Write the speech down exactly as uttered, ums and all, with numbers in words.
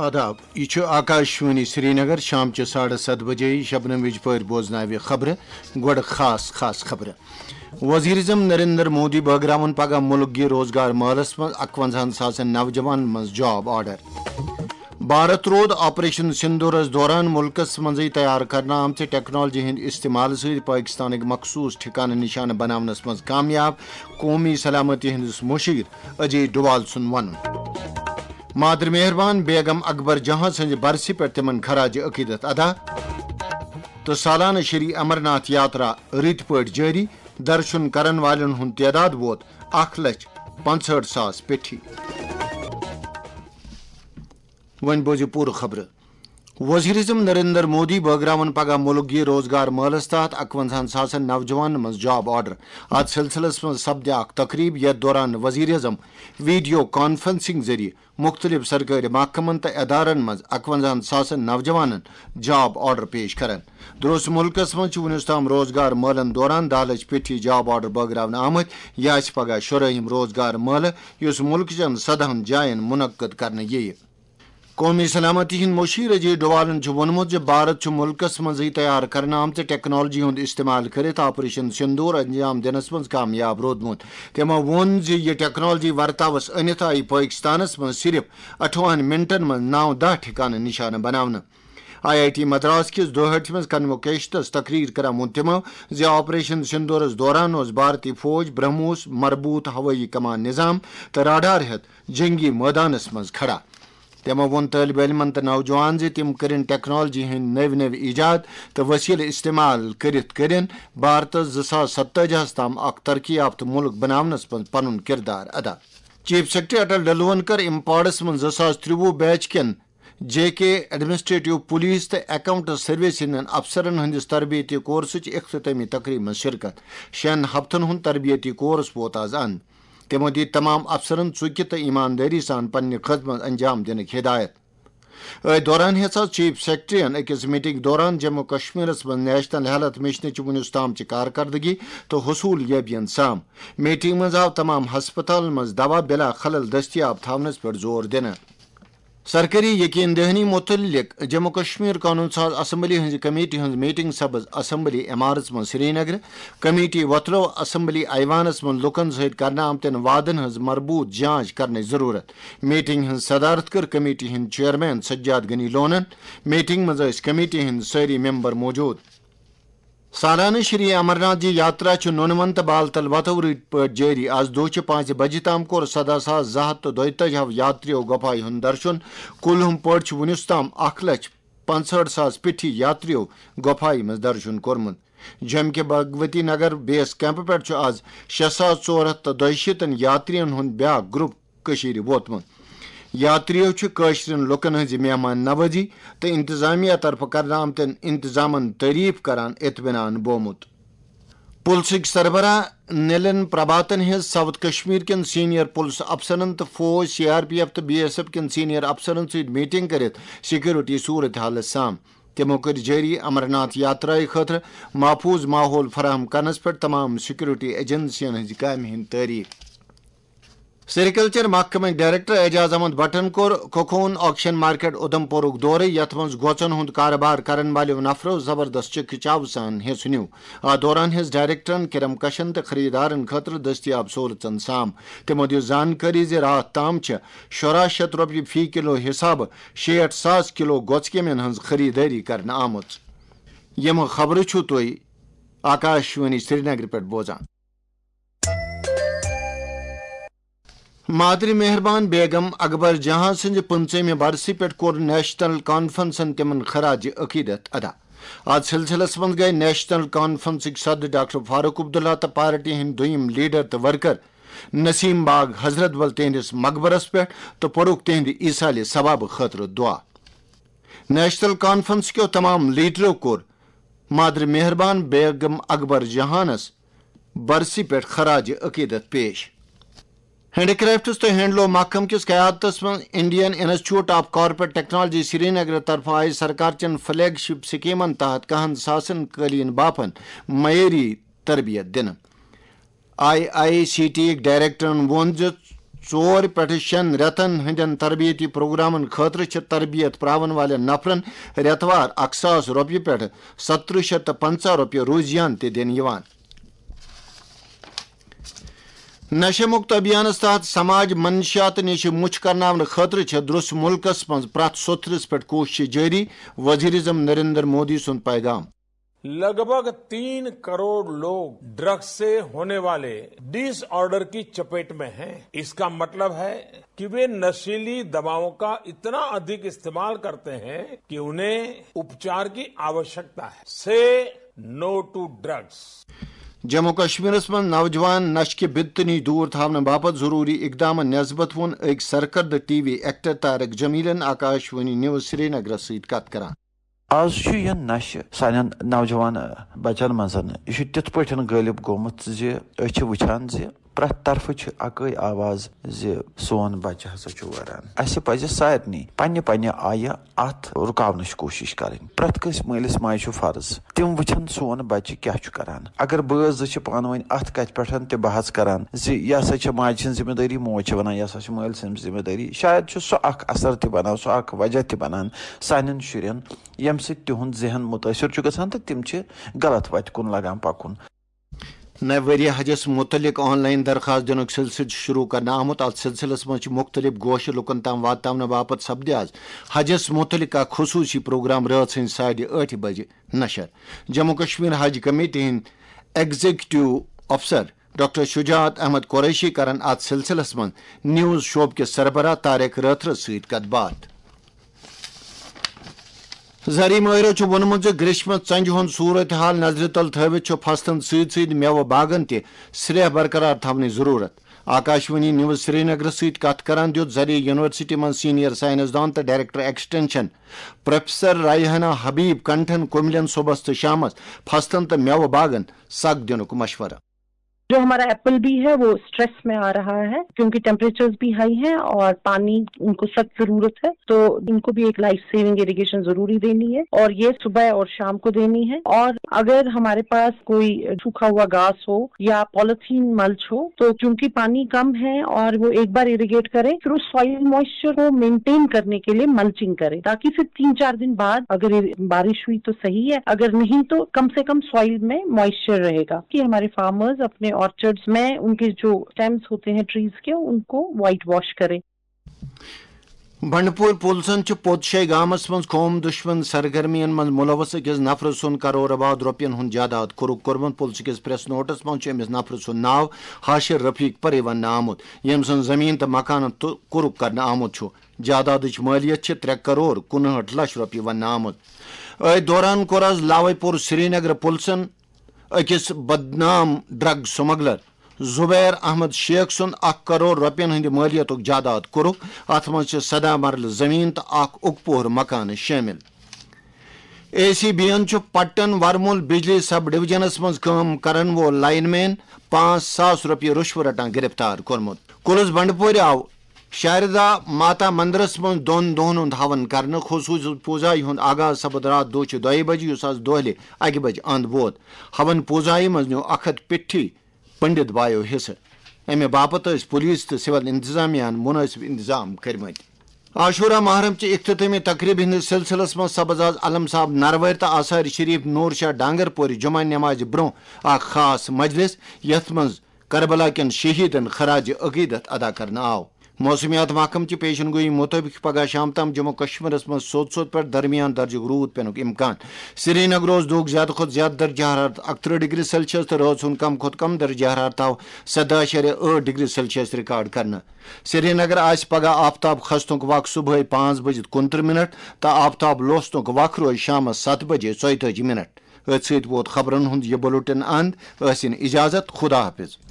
آداب، یہِ چھُ آکاشوانی سرینگر۔ شام چہِ ساڑٕ ستھ بجے شبنم وِج پٲٹھۍ بوزناوِ خبرٕ۔ گۄڈٕ خاص خاص خبرٕ۔ وزیر اعظم نریندر مودی بٲگراوَن پگاہ مُلک گیر روزگار مٲلَس منٛز اَکوَنزاہَن ساسَن نوجوانَن منٛز جاب آرڈر۔ بھارت روٗد آپریشن سندورس دوران مُلکَس منٛزٕے تیار کرنہٕ آمژِ ٹیکنالوجی ہٕنٛدِ استعمال سۭتۍ پٲکستانٕکۍ مخصوٗص ٹھکانہٕ نشانہٕ بناونَس منٛز کامیاب، قومی سلامتی ہٕنٛدِس مُشیر اجے ڈووال سُنٛد وَنُن۔ مادر مہربان بیگم اکبر جہاں سٕنٛزِ برسہِ پٮ۪ٹھ تِمن خراج عقیدت ادا۔ تہٕ سالانہٕ شری امرناتھ یاترا رٕتۍ پٲٹھۍ جٲری، درشُن کرن والٮ۪ن ہُنٛد تعداد ووت اکھ لچھ پانٛژہٲٹھ ساس پیٚٹھی۔ وۄنۍ بوزِو پوٗرٕ خبرٕ۔ وزیر اعظم نریندر مودی بٲگراوَن پگاہ مُلک گیر روزگار مٲلَس تحت اَکوَنزاہَن ساسَن نوجوانَن منٛز جاب آرڈر۔ اَتھ سلسلس منٛز سپدِ اکھ تقریب، یَتھ دوران وزیر اعظم ویڈیو کانفرنسنگ ذٔریعہٕ مُختٔلِف سرکٲرۍ محکمَن تہٕ ادارَن منٛز اَکوَنزاہَن ساسَن نوجوانَن جاب آرڈر پیش کرَن۔ درٛوس مُلکَس منٛز چھِ وُنیُس تام روزگار مٲلَن دوران دَہ لَچھ پیٚٹھی جاب آرڈر بٲگراونہٕ آمٕتۍ۔ یہِ آسہِ پگاہ شُرٲہِم روزگار مٲلہٕ، یُس مُلکہٕ چٮ۪ن سدہَن جاین منعقد کرنہٕ یِیہِ۔ قومی سلامتی ہٕنٛدۍ مُشیر اجے ڈووالَن چھُ ووٚنمُت زِ بھارت چھُ مُلکَس منٛزٕے تیار کرنہٕ آمژِ ٹیکنالوجی ہُنٛد استعمال کٔرِتھ آپریشن سندور انجام دِنَس منٛز کامیاب روٗدمُت۔ تٔمۍ ووٚن زِ یہِ ٹیکنالوجی ورتاوَس أنِتھ آیہِ پٲکستانَس منٛز صرف اَٹھوَہَن منٹَن منٛز نَو دَہ ٹھکانہٕ نشانہٕ بناونہٕ۔ آئی آئی ٹی مدراس کِس دُہٲٹھمِس کنووکیشنس تقریر کران ووٚن تِمو زِ آپریشن سندورس دوران اوس بھارتی فوج برہموس مربوط ہوٲیی کمان نظام تہٕ راڈار ہیتھ جنگی مٲدانس منٛز کھڑا۔ تِمو ووٚن طٲلب علمن تہٕ نوجوان زِ تِم کٔرِن ٹیکنالوجی ہٕنٛدۍ نٔوۍ نٔوۍ ایجاد تہٕ وسیلہٕ استعمال کٔرِتھ کٔرِن بھارتس زٕ ساس ستٲجی ہس تام اکھ ترقی یافتہٕ مُلک بناونس منٛز پنُن کردار ادا۔ چیف سیکرٹری اٹل ڈلون کٔر امپاڑس منٛز زٕ ساس ترٛوُہ بیچ کٮ۪ن جے کے ایڈمنسٹریٹو پولیس تہٕ اکاؤنٹ سروس ہٕنٛدٮ۪ن افسرن ہٕنٛدِس تربیتی کورسٕچ اختتٲمی تقریبہِ منٛز شرکت۔ شٮ۪ن ہفتن ہُنٛد تربیتی کورس ووت از اند۔ تِمو دِتۍ تمام افسرن ژُکہِ تہٕ ایماندٲری سان پننہِ خدمت انجام دِنٕکۍ ہدایت۔ أتھۍ دوران ہیٚژ آز چیف سیکرٹریَن أکِس میٹنگ دوران جموں کشمیرس منٛز نیشنل ہیلتھ مشنٕچ وُنیُس تامچہِ کارکردگی تہٕ حصوٗل یٲبین سام۔ میٹنگ منٛز آو تمام ہسپتالن منٛز دوا بلا خلل دٔستیاب تھاونس پٮ۪ٹھ زور دِنہٕ۔ سرکٲری یقین دہانی متعلق جموں کشمیر قانون ساز اسمبلی ہٕنٛزِ کمیٹی ہٕنٛز میٹنگ سپٕز اسمبلی عمارژ منٛز سرینگرٕ۔ کمیٹی وۄتلٲو اسمبلی ایوانس منٛز لوٗکن سۭتۍ کرنہٕ آمتٮ۪ن وعدن ہٕنٛز مربوط جانچ کرنٕچ ضروٗرت۔ میٹنگ ہٕنٛز صدارت کٔر کمیٹی ہٕنٛدۍ چیئرمین سجاد غنی لونن۔ میٹنگ منٛز ٲسۍ کمیٹی ہٕنٛدۍ سٲری ممبر موجود۔ سالانہٕ شری امرناتھ جی یاترا چھُ نوٗنہٕ وَن تہٕ بال تل وتو رٕتۍ پٲٹھۍ جٲری۔ از دۄہ چہِ پانٛژِ بجہِ تام کوٚر سداہ ساس زٕ ہتھ تہٕ دۄیتٲجی ہو یاتریو گۄپھایہِ ہُنٛد درشُن۔ کُل ہُم پٲٹھۍ چھِ وُنیُس تام اکھ لچھ پانٛژہٲٹھ ساس پیٚٹھی یاتریو گۄپھایہِ منٛز درشُن کوٚرمُت۔ جوٚمہِ کہِ بھگوتی نگر بیس کیمپ پٮ۪ٹھ چھُ از شےٚ ساس ژور ہتھ تہٕ دۄیہِ شیٖتن یاترین ہُنٛد بیاکھ گروپ کٔشیٖرِ ووتمُت۔ یاتریو چھُ کٲشرٮ۪ن لوٗکن ہٕنٛزِ مہمان نوازی تہٕ انتظامیہ طرفہٕ کرنہٕ آمتٮ۪ن انتظامن تعریف کران اطمینان بومُت۔ پُلسٕکۍ سربراہ نیلن پربھاتن ہیٚژ ساؤتھ کشمیر کٮ۪ن سینئر پُلس افسرن تہٕ فوج، سی آر پی ایف تہٕ بی ایس ایف کٮ۪ن سینئر افسرن سۭتۍ میٹنگ کٔرِتھ سیکورٹی صورت حالس سام۔ تِمو کٔر جٲری امرناتھ یاترایہِ خٲطرٕ محفوظ ماحول فراہم کرنس پٮ۪ٹھ تمام سیکورٹی ایجنسین ہٕنٛزِ کامہِ ہٕنٛدۍ تعریف۔ سیریکلچر محکمٕکۍ ڈائریکٹر اعجاز احمد بٹن کوٚر کوکون آکشن مارکیٹ اُدھمپورُک دورٕ، یتھ منٛز گوژن ہُنٛد کارٕبار کرن والیو نفرو زبردست چکہ چاو سان حصہٕ نیوٗ۔ اتھ دوران ہیٚژ ڈائریکٹرن کرم کشن تہٕ خریدارن خٲطرٕ دٔستیاب سہولژن سام۔ تِمو دِژ زانکٲری زِ راتھ تام چھِ شُراہ شیٚتھ رۄپیہِ فی کلو حسابہٕ شیٹھ ساس کلو گوژھ کیمٮ۪ن ہٕنٛز خریدٲری کرنہٕ آمٕژ۔ یِم خبرٕ چھِو تُہۍ آکاشوانی سرینگرٕ پٮ۪ٹھ بوزان۔ مادری مہربان بیگم اکبر جہاں سٕنٛزِ پٕنٛژٕہمہِ برسہِ پٮ۪ٹھ کوٚر نیشنل کانفرنسن تِمن خراج عقیدت ادا۔ اتھ سلسلس منٛز گٔے نیشنل کانفرنسٕکۍ صدر ڈاکٹر فاروق عبداللہ تہٕ پارٹی ہٕنٛدۍ دوٚیِم لیڈر تہٕ ورکر نسیم باغ حضرت بل تِہنٛدِس مقبرس پٮ۪ٹھ تہٕ پوٚرُکھ تِہنٛدِ ایصال ثواب خٲطرٕ دعا۔ نیشنل کانفرنس کیو تمام لیڈرو کوٚر مادر مہربان بیگم اکبر جہانس برسی پٮ۪ٹھ خراج عقیدت پیش۔ ہینڈی کرافٹس تہٕ ہینڈلوم محکمہٕ کِس قیادتس منٛز Indian institute of corporate technology Srinagar طرفہٕ آیہِ سرکار چٮ۪ن فلیگ شپ سکیمن تحت کہن ساسن قٲلیٖن بافن معیٲری تربیت دِنہٕ۔ آئی آئی سی ٹی یٕکۍ ڈائریکٹرن ووٚن زِ ژور پٮ۪ٹھٕ شٮ۪ن رٮ۪تن ہٕنٛدٮ۪ن تربیتی پروگرامن خٲطرٕ چھِ تربیت پراون والٮ۪ن نفرن رٮ۪توار اکھ ساس رۄپیہِ پٮ۪ٹھٕ سترٕہ شیٚتھ تہٕ پنٛژاہ رۄپیہِ روزیان تہِ دِنہٕ یِوان۔ نشہ مکت ابھیانس تحت سماج منشیات نِش مُچھ کرناونہٕ خٲطرٕ چھےٚ درٛس مُلکس منٛز پرٛٮ۪تھ سوٚتھرِس پٮ۪ٹھ کوٗشش جٲری، وزیر اعظم نریندر مودی سُنٛد پیغام۔ लगभग तीन करोड़ लोग ड्रग्स से होने वाले डिसऑर्डर की चपेट में हैं। इसका मतलब है कि वे नशीली दवाओं का इतना अधिक इस्तेमाल करते हैं कि उन्हें उपचार की आवश्यकता है। से नो टू ड्रग्स। جموں کشمیرس منٛز نوجوان نشہٕ کہِ بدتہٕ نِش دوٗر تھاونہٕ باپتھ ضروٗری اقدامن نسبت ووٚن أکۍ سرکردٕ ٹی وی ایکٹر طارق جمیلن آکاش وانی نیوز سرینگرس سۭتۍ کتھ کران۔ آز چھُ یہِ نشہٕ سانٮ۪ن نوجوان بچن منٛز، یہِ چھُ تِتھ پٲٹھۍ غٲلب گوٚمُت زِ أسۍ چھِ وٕچھان زِ پرٛٮ۪تھ طرفہٕ چھِ اکٲے آواز زِ سون بچہٕ ہسا چھُ وران۔ اسہِ پزِ سارنٕے پننہِ پننہِ آیہِ اتھ رُکاونٕچ کوٗشش کرٕنۍ۔ پرٛٮ۪تھ کٲنٛسہِ مٲلِس ماجہِ چھُ فرض تِم وٕچھن سون بچہٕ کیٛاہ چھُ کران۔ اگر بٲژ زٕ چھِ پانہٕ ؤنۍ اتھ کتھِ پٮ۪ٹھ تہِ بحث کران زِ یہِ ہسا چھِ ماجہِ ہٕنٛز ذمہٕ دٲری، موج چھِ ونان یہِ ہسا چھِ مٲلۍ سٕنٛز ذمہٕ دٲری، شاید چھُ سُہ اکھ اثر تہِ بنان، سُہ اکھ وجہ تہِ بنان سانٮ۪ن شُرٮ۪ن، ییٚمہِ سۭتۍ تِہُنٛد ذہن مُتٲثر چھُ گژھان تہٕ تِم چھِ غلط وتہِ کُن لگان پکُن۔ نوِ ؤریہِ حجس مُتعلق آن لائن درخواست دِنُک سلسلہٕ چھُ شروع کرنہٕ آمُت۔ اتھ سلسلس منٛز چھِ مُختٔلِف گوشہٕ لُکن تام واتناونہٕ باپتھ سپدِ آز حجس مُتعلق اکھ خصوٗصی پروگرام رٲژ ہٕنٛزِ ساڑِ ٲٹھِ بجہِ نشر۔ جموں کشمیر حج کمیٹی ہٕنٛدۍ ایگزیکٹو افسر ڈاکٹر شجاعت احمد قریشی کرن اتھ سلسلس منٛز نیوز شعبہٕ کِس سربراہ طارق رٲتھرس سۭتۍ کتھ باتھ۔ زرعی مٲہرو چھُ ووٚنمُت زِ گریشمس ژنجہِ ہُنٛد صورت حال نظرِ تل تھٲوِتھ چھُ فصلن سۭتۍ سۭتۍ میوٕ باغن تہِ سرٛیہ برقرار تھاونٕچ ضروٗرت۔ آکاشوانی نیوز سرینگرس سۭتۍ کتھ کران دِیُت زرعی یونیورسٹی منٛز سینئر سائنسدان تہٕ ڈائریکٹر ایکسٹینشن پروفیسر رائحانہ حبیب کنٹھن کُملین صبحس تہٕ شامس فصلن تہٕ میوٕ باغن سگ دِنُک مشورٕ۔ جو ہمارا ایپل بھی ہے وہ اسٹریس میں آ رہا ہے کیونکہ ٹیمپریچرز بھی ہائی ہیں اور پانی ان کو سخت ضرورت ہے، تو ان کو بھی ایک لائف سیونگ اریگیشن ضروری دینی ہے اور یہ صبح اور شام کو دینی ہے۔ اور اگر ہمارے پاس کوئی سوکھا ہوا گھاس ہو یا پالیتھین ملچ ہو تو چونکہ پانی کم ہے اور وہ ایک بار اریگیٹ کریں، پھر اس سوائل موئسچر کو مینٹین کرنے کے لیے ملچنگ کریں تاکہ پھر تین چار دن بعد اگر بارش ہوئی تو صحیح ہے، اگر نہیں تو کم سے کم سوائل میں موئسچر رہے گا کہ ہمارے فارمرز اپنے آرچرڈز میں ان کے جو اسٹیمز ہوتے ہیں ٹریز کے ان کو وائٹ واش کریں۔ بنڈپور پولیسن چھُ پوتشے گامس منٛز قوم دشمن سرگرمین منٛز ملوث أکِس نفرٕ سُنٛد کرور آباد رۄپین ہُنٛد جائیداد قرق کوٚرمُت۔ پُلسہٕ کِس پریس نوٹس منٛز چھُ أمِس نفرٕ سُنٛد ناو حاشر رفیق پرے وننہٕ آمُت، ییٚمۍ سٕنٛز زٔمیٖن تہٕ مکانن تہٕ قرق کرنہٕ آمُت چھُ۔ جائیدادٕچ مٲلیت چھِ ترٛےٚ کرور کُنہٲٹھ لچھ رۄپیہِ وننہٕ آمُت۔ أتھۍ دوران کوٚر آز لاوے پور سرینگر پُلسن أکِس بدنام ڈرگ سمگلر زبیر احمد شیخ سُنٛد اکھ کرور رۄپین ہٕنٛدِ مٲلیتُک جائیداد کوٚرُکھ۔ اتھ منٛز چھِ سداہ مرلہٕ زٔمیٖن تہٕ اکھ اُکپوہر مکانہٕ شٲمِل۔ اے سی بی یَن چھُ پٹن ورمُل بجلی سب ڈویژنس منٛز کٲم کرن وول لائن مین پانٛژھ ساس رۄپیہِ رُشوٕ رٹان گرفتار کوٚرمُت۔ کُلس بنڈپورِ آو شاردا ماتا مندرس منٛز دۄن دۄہن ہُنٛد ہون کرنہٕ۔ خصوٗصی پوٗزایہِ ہُنٛد آغاز سپُد راتھ دۄہ چہِ دۄیہِ بجہِ، یُس آز دۄہلہِ اکہِ بجہِ اند ووت۔ ہون پوٗزایہِ منٛز نیوٗ اکھ ہتھ پیٹھی پنڈت بایو حصہٕ۔ امہِ باپتھ ٲسۍ پولیس تہٕ سول انتظامیہ ہن مناسب انتظام کٔرمٕتۍ۔ عاشورہ محرم چہِ اختتٲمی تقریبہِ ہٕنٛدِس سلسلس منٛز سپز آز علم صاحب نروٲرۍ تہٕ آثار شریف نور شاہ ڈانگر پورِ جمعہ نمازِ برونٛہہ اکھ خاص مجلس، یتھ منٛز کربلا کٮ۪ن شہیدن خراج عقیدت ادا کرنہٕ آو۔ موسمیات محکمہٕ چہِ پیشن گویی مُطٲبِق چھُ پگہہ شام تام جموں کشمیرس منٛز سوٚت سوٚت پٮ۪ٹھ درمیان درجُک روٗد پینُک امکان۔ سرینگر اوس دۄہُک زیادٕ کھۄتہٕ زیادٕ درجہ حرارت اکترٕہ ڈگری سیلسیس تہٕ رٲژ ہُنٛد کم کھۄتہٕ کم درجہ حرارت آو سداہ اعشاریہ ٲٹھ ڈگری سیلسیس ریکارڈ کرنہٕ۔ سرینگر آسہِ پگہہ آفتاب کھسنُک وق صبحٲے پانٛژھ بجہِ تہٕ کُنترٕہ منٹ تہٕ آفتاب لوسنُک وق روزِ شامس ستھ بجے ژۄیتٲجی منٹ۔ أتھۍ سۭتۍ ووت خبرن ہُنٛد یہِ بُلٹن اند۔ ٲسِن اجازت، خدا حافظ۔